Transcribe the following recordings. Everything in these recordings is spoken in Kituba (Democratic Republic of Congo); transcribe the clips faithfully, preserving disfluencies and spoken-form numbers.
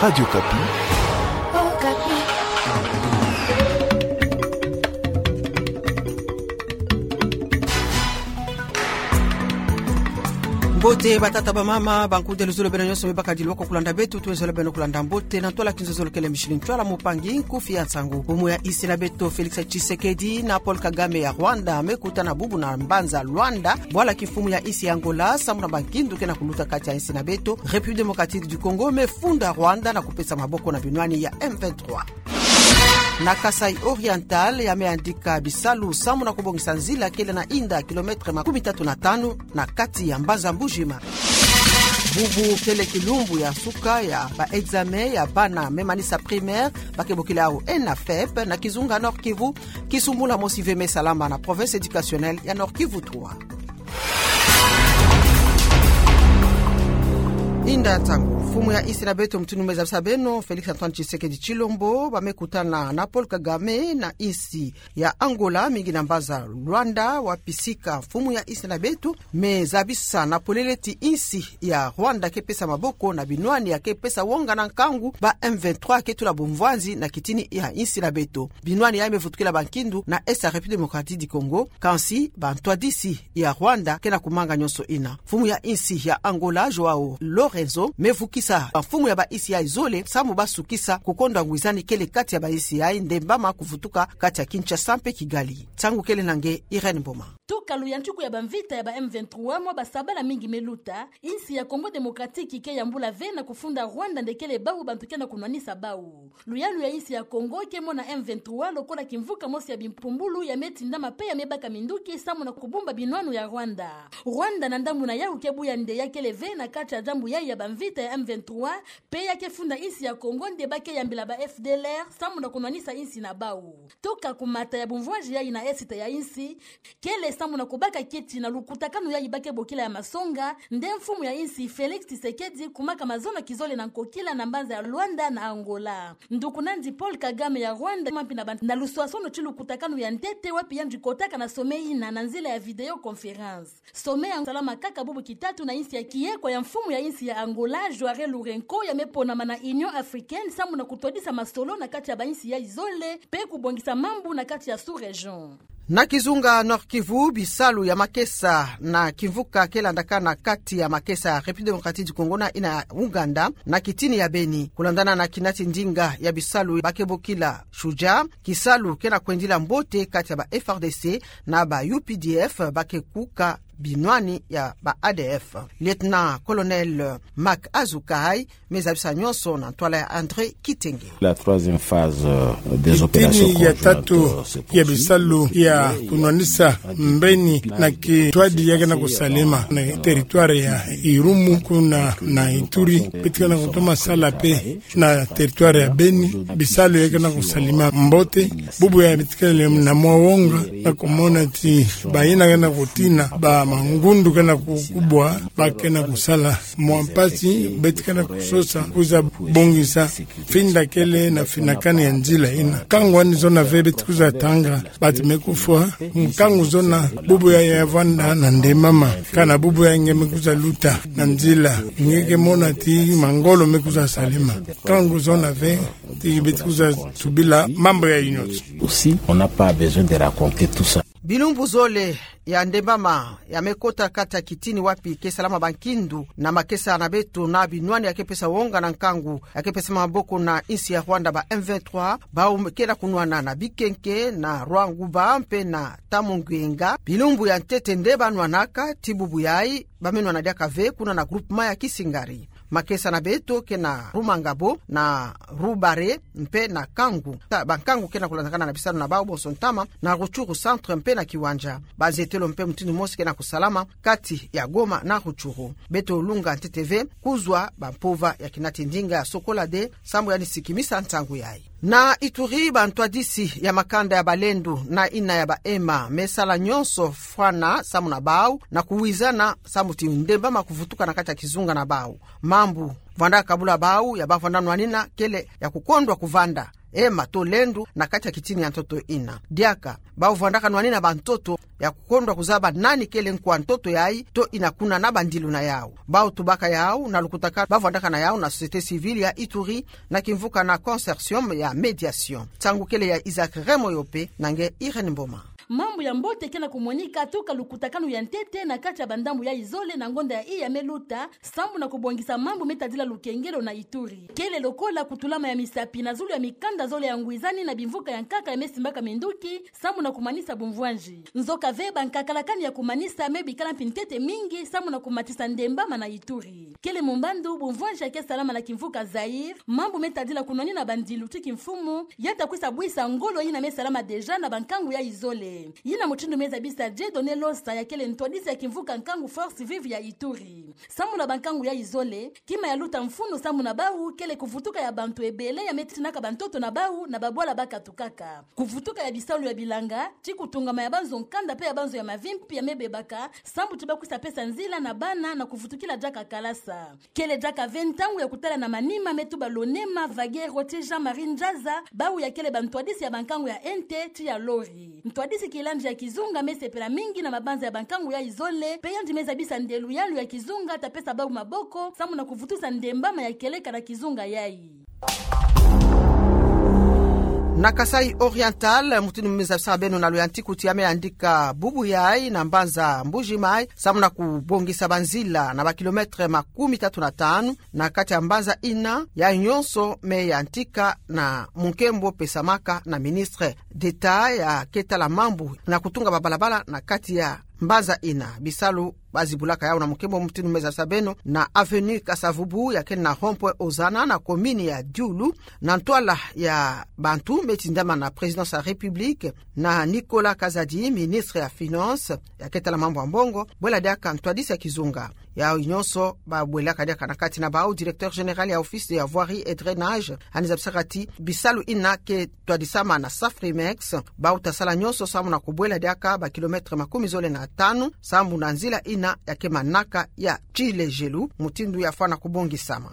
Radio Okapi. Mbote batata, bamama, bankudi, luzolo beno nyonso me bakadilwaka kulanda beto, tuwezolo beno kulanda mbote na ntwala kinzozolo kele mishili ntwala. Mopangi nkufi ya nsangu: mfumu ya insi na beto Félix Tshisekedi na Paul Kagame ya Rwanda me kutana bubu na mbanza Luanda, bwala kimfumu ya insi ya Angola, samu na bankindu ke na kuluta kati ya insi na beto République Démocratique du Congo, me funda Rwanda na kupesa maboko na binwani ya M vingt-trois. Na Kasaï Oriental, ya me yandika bisalu samu na kubongisa nzila kele na inda kilomètre makumi tatu na tanu na kati ya mbanza Mbuji-Mayi. Bubu kele kilumbu ya suka ya ba examen ya bana me manisa primaire, ba ke bokila yawu ENAFEP, na kizunga Nord-Kivu. Kisumbula mosi ve me salama na province éducationnelle ya Nord-Kivu trois. Inda ntangu, mfumu ya insi na beto, mutindu me zabisa beno, Félix Antoine Tshisekedi Tshilombo, ba me kutana na Paul Kagame na insi ya Angola, mingi na mbanza Luanda, wapi sika mfumu ya insi na beto me zabisa na polele ti insi ya Rwanda ke pesa maboko na binwani ya ke pesa wonga na nkangu ba M vingt-trois ke tula bumvwanzi na kitini ya insi na beto. Binwani yayi me vutukila bankindu na Est ya République Démocratique du Congo, kansi bantwadisi ya Rwanda ke na kumanga nyonso yina. Mfumu ya insi ya Angola, João Lourenço, me vukisa bamfumu ya bainsi yayi zole samu ba sukisa kukondwa ngwizani kele kati ya bainsi yayi, ndembama kuvutuka kati ya Kinshasa mpe Kigali. Nsangu kele na nge Irène Mboma. Tuka luyantiku ya bamvita ya ba M vingt-trois mwa basabala mingi me luta, insi ya Congo Démocratique ke yambula ve na kufunda Rwanda nde kele bawu bantu ke na kunwanisa bawu. Luyalu ya insi ya Congo ke mona M vingt-trois lokola kimvuka mosi ya bimpumbulu ya me tindama mpe ya me baka minduki samu na kubumba binwanu ya Rwanda. Rwanda na ndambu na yawu ke buya nde ya kele ve na kati ya diambu yayi ya bamvita ya M vingt-trois, mpe ya ke funda insi ya Congo nde ba ke yambila ba F D L R samu na kunwanisa insi na bawu. Tuka kumata ya bumvwanzi yayi na Est ya insi, kele samu na kubaka kiti na lukutakanu yayi ba ke bokila ya masonga, nde mfumu ya insi Félix Tshisekedi kumaka mazono kizole na nkokila na mbanza ya Luanda na Angola. Nduku nandi Paul Kagame ya Rwanda, mampi na ba-, na luswasono ti lukutakanu ya ntete, wapi yandi kotaka na sommet yina na nzila ya vidéoconférence. Sommet ya salama kaka bubu kitatu na insi ya kiekwa ya mfumu ya insi ya Angola, João Lourenço, ya me ponama na Union Africaine samu na kutwadisa masolo na kati ya bainsi yayi zole, mpe kubongisa mambu na kati ya sous-région. Na kizunga Nord-Kivu, bisalu ya makesa na kimvuka ke landakana kati ya makesa ya République Démocratique du Congo na yina ya Ouganda, na kitini ya Beni. Kulandana na kinati ndinga ya bisalu ba ke bokila Shujaa, kisalu ke na kwendila mbote kati ya ba F A R D C na ba U P D F, ba ke kuka binwani ya ba A D F. Lieutenant-colonel Marc Azoukaï me zabisa nyonso na ntwala ya André Kitenge. La troisième phase, euh, des opérations conjointes, euh, se poursuit. Kitini ya tatu ya bisalu ya kunwanisa mbeni na kintwadi ya ke na kusalema na territoire ya Irumu kuna na Ituri, beto ke na kutoma sala mpe na territoire ya Beni, bisalu ya ke na kusalema mbote. Bubu ya beto kele na mwa wonga na kumona ti bayina ke na kutina, ba mangundu ke na kukubwa, ba ke na kusala mwa mpasi, beto ke na kusosa kwiza bongisa finda kele na finakani ya nzila yina. Nkangu wani zona ve beto kwiza tanga, bantu me kufwa, nkangu zona bubu yayi ya vanda na ndembama, kana bubu yayi nge me kwiza luta na nzila, nge ke mona ti mangolo me kwiza salema. Nkangu zona ve ti beto kwiza tubila mambu yayi nyonso. Aussi, on n'a pas besoin de raconter tout ça. Bilumbu zole ya ndembama ya me kota kati ya kitini wapi ke salama bankindu na makesa na beto na binwani ya ke pesa wonga na nkangu ya ke pesa maboko na insi ya Rwanda, ba M vingt-trois, bawu ke na kunwana na Bikenke, na Rwanguba mpe na Tamungenga. Bilumbu ya ntete nde ba nwanaka, ti bubu yayi ba me nwana diaka ve kuna na groupement ya Kisingari. Makesa na beto ke na Rumangabo, na Rubare mpe na Kangu. Ta-, bankangu ke na kulandakana na bisalu na bawu bonso ntama na Rutshuru centre mpe na Kiwanja. Bazetelo mpe mutindu mosi ke na kusalama kati ya Goma na Rutshuru. Beto lunga ntete ve kuzwa bampova ya kinati ndinga ya Sokolade, sambu ya ni sikimisa ntangu yayi. Na Ituri, bantwadisi ya makanda ya balendu na yina ya ba ema me sala nyonso fwana samu na bawu na kuwizana samu ti ndembama kuvutuka na kati ya kizunga na bawu. Mambu vwanda kabula bawu ya ba vwanda nwanina kele ya kukondwa kuvanda, ema to lendo na kati ya kitini ya ntoto ina. Diaka, bau vwandaka nwanina bantoto ya kukondwa kuzaba nani kele nkwa ntoto yayi to ina kuna na bandilu na yau. Bau tubaka yau na lukutakanu bavwandaka na yau na société civile ya Ituri, na kimvuka na consortium ya médiation. Nsangu kele ya Isaac Remoyope, na nge Irène Mboma. Mambu ya mbote ke na kumonika tuka lukutakanu ya ntete na kati ya bandambu yayi zole na ngonda yayi ya me luta, sambu na kubongisa mambu me tadila lukengelo na Ituri. Kele lokola kutulama ya misapi na zulu ya mikanda zole ya ngwizani na bimvuka ya nkaka ya me simbaka minduki, sambu na kumanisa bumvwanzi. Nzoka ve, bankakalakani ya kumanisa me bikala mpi ntete mingi, sambu na kumatisa ndembama na Ituri. Kele mumbandu bumvwanzi ya ke salama na kimvuka Zaïre, mambu me tadila kunwanina bandilu ti kimfumu, ya ta kwisa bwisa ngolo yina me salama déjà na bankangu yayi zole. Yina mutindu me zabisa Dieudonné Losa, ya kele ntwadisi ya kimvuka nkangu Force Vive ya Ituri. Sambu na bankangu yayi zole, kima ya luta mfunu sambu na bau kele kuvutuka ya bantu ebele ya me titinaka bantoto na bau na babwala bakatukaka. Kuvutuka ya bisalu ya bilanga, ti kutungama ya banzo nkanda mpe ya banzo ya mavimpi ya me bebaka, sambu ti bakwisa pesa nzila na bana na kuvutukila diaka kalasa. Kele diaka ve ntangu ya kutala na manima, me tuba Lonema Vaguero ti Jean-Marie Njaza, bau ya kele bantwadisi ya bankangu ya ente ti ya lori. Ntwadisi kilandi ya kizunga me sepela mingi na mabanza ya bankangu yayi zole, mpe yandi me zabisa nde luyalu ya kizunga ta pesa bau maboko, sambu na kuvutusa ndembama ya kieleka na kizunga yayi. Na Kasaï Oriental, mutindu me zabisa beno na luyantiku ti ya me yandika bubu yayi na mbanza Mbuji Mayi, sambu na kubongisa banzila na ba kilomètre makumi tatu na tanu, na kati ya mbanza ina, yayi nyonso me yantika na munkembo pesamaka na ministre d'État ya ke tala mambu na kutunga babalabala na kati ya mbanza ina. Bisalu bazibulaka yau na munkembo mutindu me zabisa beno na avenue Kasa-Vubu ya ke na rond-point Ozana na commune ya Dioula, na ntwala ya bantu me tindama na Présidence ya République, na Nicolas Kazadi, ministre ya Finances, ya ke tala mambu ya mbongo, bwela diaka ntwadisi ya kizunga. Yau nyonso babwelaka diaka na kati na bau directeur général ya Office ya Voirie et Drainage, yandi zabisaka ti bisalu ina ke twadisama na Safrimex, bau ta sala nyonso sambu na kubwela diaka ba kilomètre makumi zole na tanu, sambu na nzila ina ya ke manaka ya Tshilejelu, mutindu ya fwana kubongisama.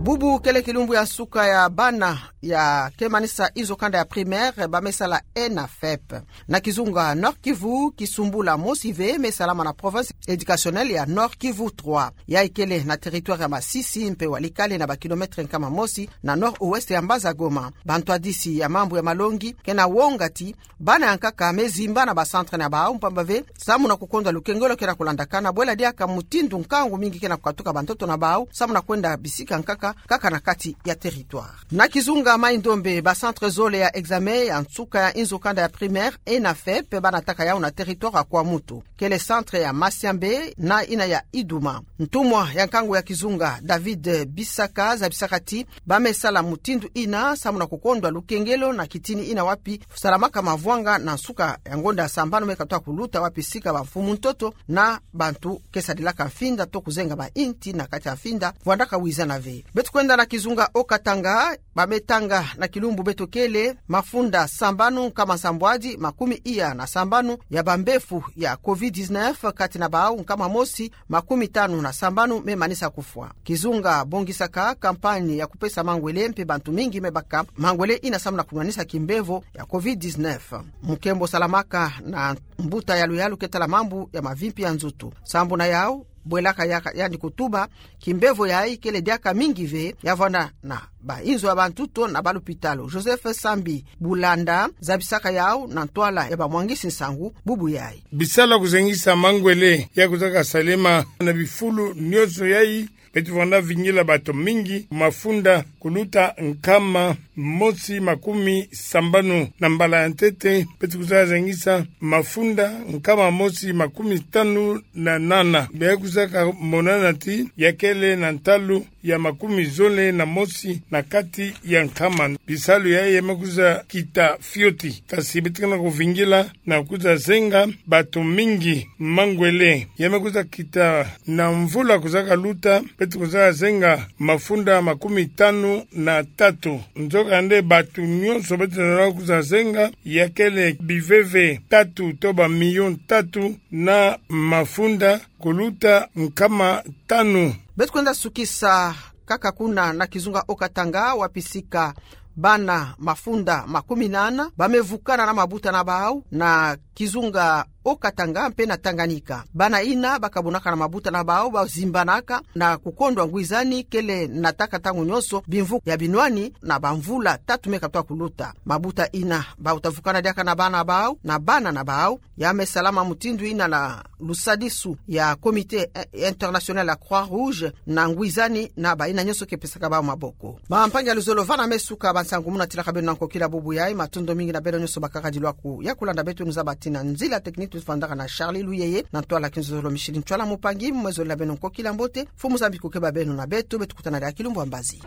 Bubu kele kilumbu ya nsuka ya bana ya ke manisa inzo kanda ya primaire ba me sala ENAFEP. Na kizunga Nord-Kivu, kisumbula mosi ve me salama na province éducationnelle ya Nord-Kivu trois. Yayi kele na territoire ya Masisi mpe Walikale, na ba kilomètre nkama mosi na nord-ouest ya mbanza Goma. Bantwadisi ya mambu ya malongi ke na wonga ti bana ya nkaka me zimba na ba centre na bau mpamba ve sambu na kukondwa lukengelo ke na kulandakana, bwela diaka mutindu nkangu mingi ke na kukatuka bantoto na bau sambu na kwenda bisika nkaka, kaka na kati ya territoire. Na kizunga Maï-Ndombe, ba centre zole ya examen ya nsuka ya inzo kanda ya primaire ENAFEP ba nataka yau na territoire ya Kwamouth. Kele centre ya Massiambé na ina ya Idouma. Ntumwa ya nkangu ya kizunga David Bissaka zabisaka ti ba me sala mutindu ina sambu na kukondwa lukengelo na kitini ina wapi salamaka mavwanga na nsuka ya ngonda ya sambanu me katuka kuluta, wapi sika bamfumu ntoto na bantu ke sadilaka mfinda to kuzenga ba inti na kati ya mfinda vwandaka wizana ve. Beto kwenda na kizunga Haut-Katanga, ba me tanga na kilumbu beto kele mafunda sambanu nkama nsambwadi makumi iya na sambanu ya bambefu ya covid dix-neuf, kati na bau nkama mosi makumi tanu na sambanu me manisa kufwa. Kizunga bongisaka campagne ya kupesa mangwele mpe bantu mingi me baka mangwele ina sambu na kunwanisa kimbevo ya covid dix-neuf. Munkembo salamaka na mbuta ya luyalu ke tala mambu ya mavimpi ya nzutu. Sambu na yau, bwelaka yaka yandi kutuba, kimbevo yayi kele diaka mingi ve ya vwanda na ba inzo ya bantu to na ba lupitalu. Joseph Sambi Bulanda zabisaka yau na ntwala ya bamwangisi nsangu bubu yayi. Bisalu ya kuzengisa mangwele ya kuzaka salema na bifulu nyonso yayi, beto vwanda vingila bato mingi mafunda kuluta nkama mosi makumi sambanu. Na mbala ya ntete, beto kuzaka zengisa mafunda nkama mosi makumi tanu na nana. Be kuzaka monana ti ya kele na ntalu ya makumi zole na mosi na kati ya nkama. Bisalu yayi ya me kwiza kita fioti. Kasi beto ke na kuvingila na kwiza zenga bato mingi mangwele. Ya me kwiza kita na mvula kwizaka luta, beto kwizaka zenga mafunda makumi tanu na tatu. Nzokande bato nyonso beto lenda kwiza zenga, ya kele biveve tatu to ba million tatu na mafunda kuluta nkama tanu. Beto kwenda sukisa kaka kuna na kizunga Haut-Katanga, wapi sika bana mafunda makumi nana bamevukana na mabuta na bawu na kizunga Haut-Katanga mpe na Tanganyika. Bana ina bakabunaka na mabuta na bawu bazimbanaka na kukondwa ngwizani kele nataka ntangu nyonso bimvuka ya binwani na bamvula tatu me katwa kuluta. Mabuta ina bawuta vukana diaka na bana bawu, na bana na bawu, ya me salama mutindu ina na lusadisu ya Comité International ya Croix-Rouge na ngwizani na baina nyonso ke pesaka bawu maboko. Bampangi ya luzolo, vana me suka bansangu mu natilaka beno na nkokila bubu yayi. Matondo mingi na beno nyonso bakaka dilwaku ya kulanda beto. Nzaba tina nzila technique tufandaka na Charlie Luyeye, na ntwala kinzolo Micheline Ntwala Mupangi, mwezolo na beno nkokila mbote. Mfumu Nzambi kukeba beno na beto, beto kutana diaka kilumbu ya mbazi.